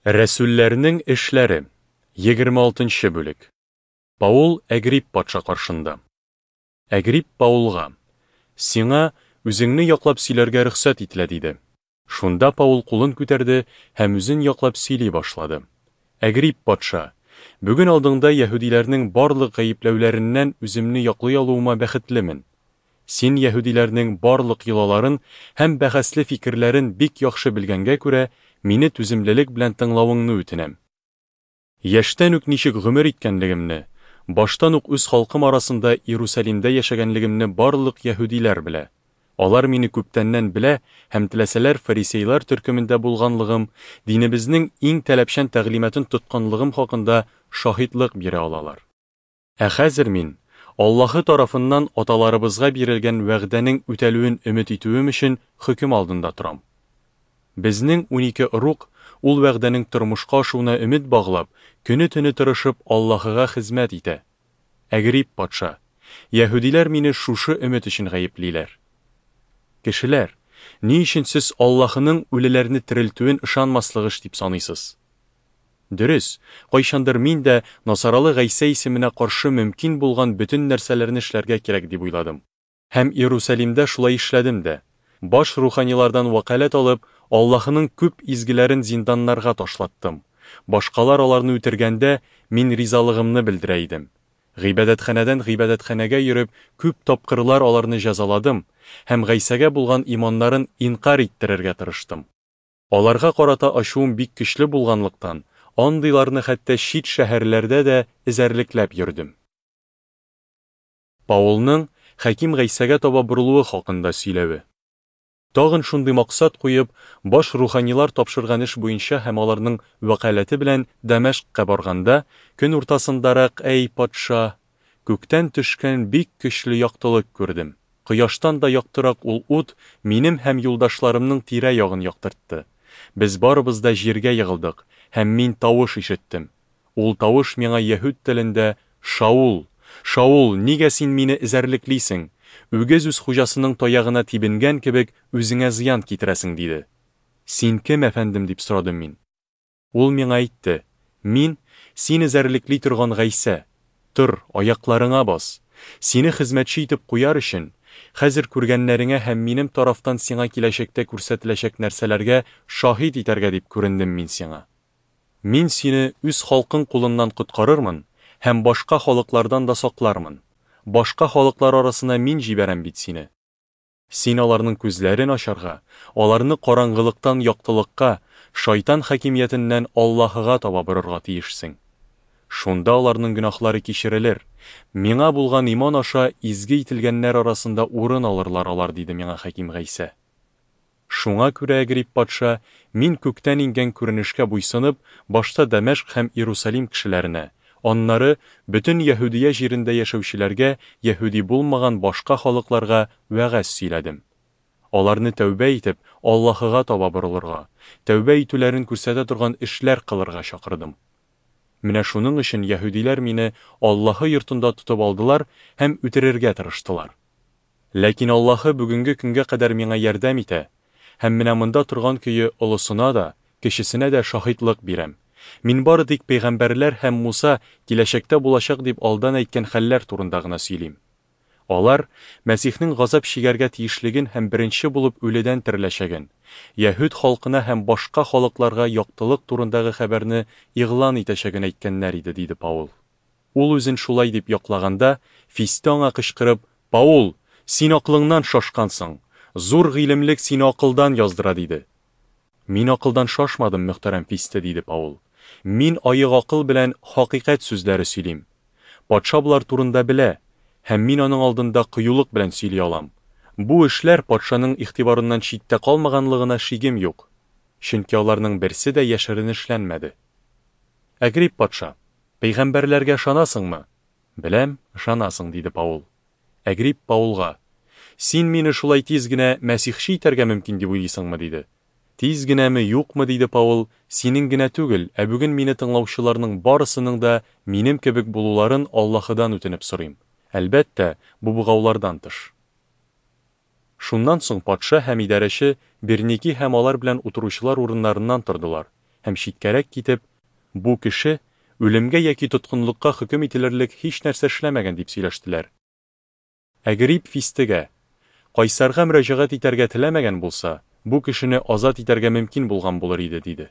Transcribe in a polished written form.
Рәсүлләрнең эшләре, 26 нчы бүлек. Паул Әгрип патша каршында. Әгрип Паулга: Сиңа үзеңне яклап сөйләргә рөхсәт ителә, диде. Шунда Паул кулын күтәрде һәм үзен яклап сөйли башлады. Әгрип патша, бүген алдыңда яһүдиләрнең барлык гаепләүләреннән үземне яклый алуыма бәхетлемен. Син яһүдиләрнең барлык йолаларын һәм бәхәсле фикерләрен бик яхшы белгәнгә күрә, мине түземлелек белән тыңлавыңны үтенәм. Яшьтән үк ничек гомер иткәнлегемне, баштан ук үз халкым арасында Иерусалимдә яшәгәнлегемне барлык яһүдиләр белә. Алар мине күптәннән белә һәм теләсәләр фарисейлар төркемендә булганлыгым, динебезнең иң таләпчән тәгълиматын тотканлыгым хакында шаһитлык бирә алалар. Ә хәзер мин, Аллаһы тарафыннан аталарыбызга бирелгән вәгъдәнең үтәлүен өмет итүем өчен хөкем алдында торам. Безнең 12 ыруг, ул вәгъдәнең тормышка ашуына өмет баглап, көне-төне тырышып Аллаһыга хезмәт итә. Әгрип патша, яһүдиләр мине шушы өмет өчен гаеплиләр. Кешеләр, ни өчен сез Аллаһының үлеләрне терелтүен ышанмаслык эш дип саныйсыз? Дөрес, кайчандыр мин дә Насаралы Гайсә исеменә каршы мөмкин булган бөтен нәрсәләрне эшләргә кирәк дип уйладым. Һәм Иерусалимдә шулай эшләдем дә. Баш руханилардан вәкаләт алып, Аллаһының күп изгеләрен зинданнарга ташлаттым. Башкалар аларны үтергәндә, мин ризалыгымны белдерә идем. Гыйбадәтханәдән гыйбадәтханәгә йөреп, күп тапкырлар аларны җәзаладым һәм Гайсәгә булган иманнарын инкарь иттерергә тырыштым. Аларга карата ачуым бик көчле булганлыктан, андыйларны хәтта чит шәһәрләрдә дә эзәрлекләп йөрдем. Паулның Хәким Гайсәгә таба борылуы хакында сөйләве. Тагын шундый максат куеп, баш руханилар тапшырган эш буенча һәм аларның вәкаләте белән Дәмәшкъка барганда, көн уртасындарак, әй, патша, күктән төшкән бик көчле яктылык күрдем. Кояштан да яктырак ул ут минем һәм юлдашларымның тирә-ягын яктыртты. Без барыбыз да җиргә егылдык, һәм мин тавыш ишеттем. Ул тавыш миңа яһүд телендә, Шаул! Шаул, нигә син мине эзәрлеклисең? Үгез үз хуҗасының таягына тибенгән кебек, үзеңә зыян китерәсең, диде. Син кем, әфәндем? дип сорадым мин. Ул миңа әйтте, Мин, син эзәрлекли торган Гайсә. Тор, аякларыңа бас. Сине хезмәтче итеп куяр өчен, хәзер күргәннәреңә һәм минем тарафтан сиңа киләчәктә күрсәтеләчәк нәрсәләргә шаһит итәргә дип күрендем мин сиңа. Мин сине үз халкың кулыннан коткарырмын һәм башка халыклардан да саклармын. Башка халыклар арасына мин җибәрәм бит сине. Син аларның күзләрен ачарга, аларны караңгылыктан яктылыкка, шайтан хакимиятеннән Аллаһыга таба борырга тиешсең. Шунда аларның гөнаһлары кичерелер, Миңа булган иман аша изге ителгәннәр арасында урын алырлар алар, диде миңа Хаким Гайсә. Шуңа күрә, Әгрип патша, мин күктән иңгән күренешкә буйсынып, башта Дәмәшкъ һәм Иерусалим кешеләренә, аннары бөтен Яһүдия җирендә яшәүчеләргә, яһүди булмаган башка халыкларга вәгазь сөйләдем. Аларны тәүбә итеп, Аллаһыга таба борылырга, тәүбә итүләрен күрсәтә торган эшләр кылырга чакырдым. Менә шуның өчен яһүдиләр мине Аллаһы йортында тотып алдылар һәм үтерергә тырыштылар. Ләкин Аллаһы бүгенге көнгә кадәр миңа ярдәм итә, һәм менә монда торган көе олысына да, кечесенә дә шаһитлык бирәм. Мин бары тик пәйгамбәрләр һәм Муса киләчәктә булачак дип алдан әйткән хәлләр турында гына сөйлим. Алар, Мәсихнең газап чигәргә тиешлеген һәм беренче булып үледән тереләчәген, яһүд халкына һәм башка халыкларга яктылык турындагы хәбәрне игълан итәчәген әйткәннәр иде, диде Паул. Ул үзен шулай дип яклаганда, Фисте аңа кычкырып, Паул, син акылыңнан шашкансың! Зур гыйлемлек сине акылдан яздыра, диде. Мин акылдан шашмадым, мөхтәрәм Фисте, диде Паул. Мин аек акыл белән хакыйкать сүзләре сөйлим. Патша болар турында белә, һәм мин аның алдында кыюлык белән сөйли алам. Бу эшләр патшаның игътибарыннан читтә калмаганлыгына шигем юк, чөнки аларның берсе дә яшерен эшләнмәде. Әгрип патша, Пәйгамбәрләргә ышанасыңмы? Беләм, ышанасың, диде Паул. Әгрип Паулга, Син мине шулай тиз генә мәсихче итәргә мөмкин дип уйлыйсыңмы? диде. Тиз генәме, юкмы, диде Паул, синең генә түгел, ә бүген мине тыңлаучыларның барысының да минем кебек булуларын Аллаһыдан үтенеп сорыйм. Әлбәттә, бу богаулардан тыш. Шуннан соң патша һәм идарәче Берники һәм алар белән утыручылар урыннарыннан тордылар. һәм читкәрәк китеп, Бу кеше үлемгә яки тоткынлыкка хөкем ителерлек һичнәрсә эшләмәгән, дип сөйләштеләр. Әгрип Фистегә, Кайсарга мөрәҗәгать итәргә теләмәгән булса, бу кешене азат итәргә мөмкин булган булыр иде, диде.